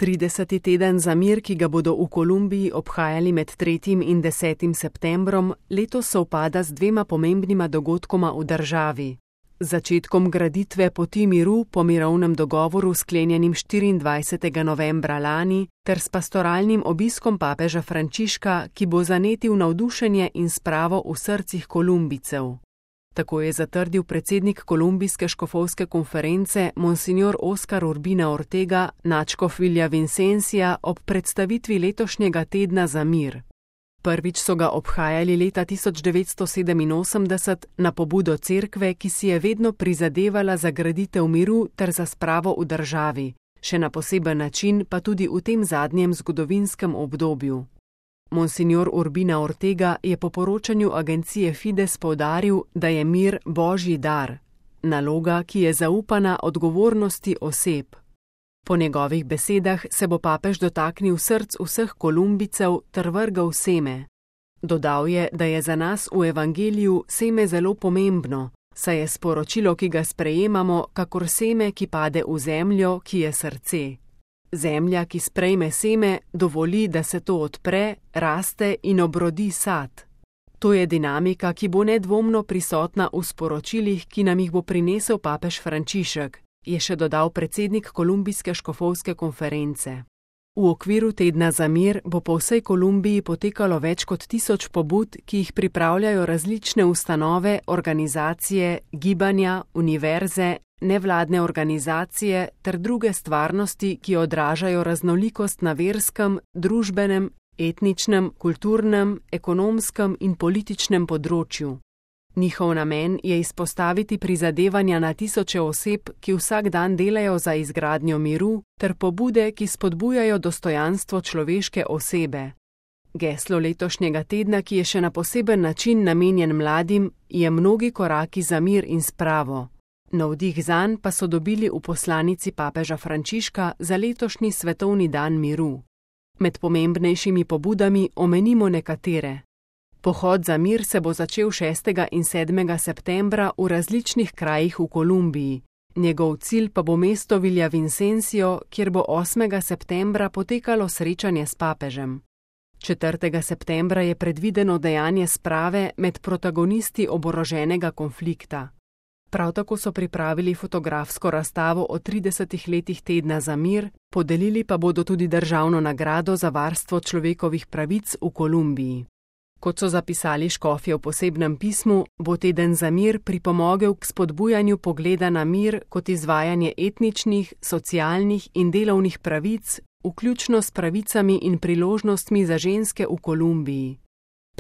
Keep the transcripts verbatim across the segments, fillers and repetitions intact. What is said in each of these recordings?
Trideseti teden za mir, ki ga bodo v Kolumbiji obhajali med tretjim in desetim septembrom, letos sovpada z dvema pomembnima dogodkoma v državi. Začetkom graditve poti miru po mirovnem dogovoru sklenjenim štiriindvajsetega novembra lani ter s pastoralnim obiskom papeža Frančiška, ki bo zanetil navdušenje in spravo v srcih Kolumbijcev. Tako je zatrdil predsednik Kolumbijske škofovske konference Monsignor Oscar Urbina Ortega nadškof Villavicencija ob predstavitvi letošnjega tedna za mir. Prvič so ga obhajali leta tisoč devetsto sedeminosemdeset na pobudo cerkve, ki si je vedno prizadevala za graditev miru ter za spravo v državi, še na poseben način pa tudi v tem zadnjem zgodovinskem obdobju. Monsignor Urbina Ortega je po poročanju agencije Fides poudaril, da je mir božji dar, naloga, ki je zaupana odgovornosti oseb. Po njegovih besedah se bo papež dotaknil src vseh Kolumbijcev ter vrgel seme. Dodal je, da je za nas v evangeliju seme zelo pomembno, saj je sporočilo, ki ga sprejemamo, kakor seme, ki pade v zemljo, ki je srce. Zemlja, ki sprejme seme, dovoli, da se to odpre, raste in obrodi sad. To je dinamika, ki bo nedvomno prisotna v sporočilih, ki nam jih bo prinesel papež Frančišek, je še dodal predsednik Kolumbijske škofovske konference. V okviru tedna za mir bo po vsej Kolumbiji potekalo več kot tisoč pobud, ki jih pripravljajo različne ustanove, organizacije, gibanja, univerze, nevladne organizacije ter druge stvarnosti, ki odražajo raznolikost na verskem, družbenem, etničnem, kulturnem, ekonomskem in političnem področju. Njihov namen je izpostaviti prizadevanja na tisoče oseb, ki vsak dan delajo za izgradnjo miru, ter pobude, ki spodbujajo dostojanstvo človeške osebe. Geslo letošnjega tedna, ki je še na poseben način namenjen mladim, je mnogi koraki za mir in spravo. Navdih zanj pa so dobili v poslanici papeža Frančiška za letošnji svetovni dan miru. Med pomembnejšimi pobudami omenimo nekatere. Pohod za mir se bo začel šestega in sedmega septembra v različnih krajih v Kolumbiji. Njegov cilj pa bo mesto Villavicencio, kjer bo osmega septembra potekalo srečanje s papežem. četrtega septembra je predvideno dejanje sprave med protagonisti oboroženega konflikta. Prav tako so pripravili fotografsko razstavo o tridesetih letih tedna za mir, podelili pa bodo tudi državno nagrado za varstvo človekovih pravic v Kolumbiji. Kot so zapisali škofje v posebnem pismu, bo teden za mir pripomogel k spodbujanju pogleda na mir kot izvajanje etničnih, socialnih in delovnih pravic, vključno s pravicami in priložnostmi za ženske v Kolumbiji.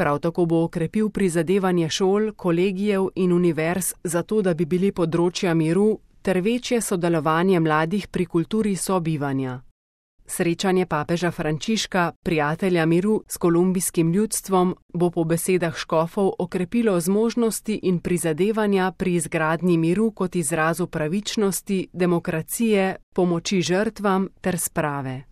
Prav tako bo okrepil prizadevanje šol, kolegijev in univerz za to, da bi bili področja miru, ter večje sodelovanje mladih pri kulturi sobivanja. Srečanje papeža Frančiška, prijatelja miru s kolumbijskim ljudstvom, bo po besedah škofov okrepilo zmožnosti in prizadevanja pri izgradnji miru kot izrazu pravičnosti, demokracije, pomoči žrtvam ter sprave.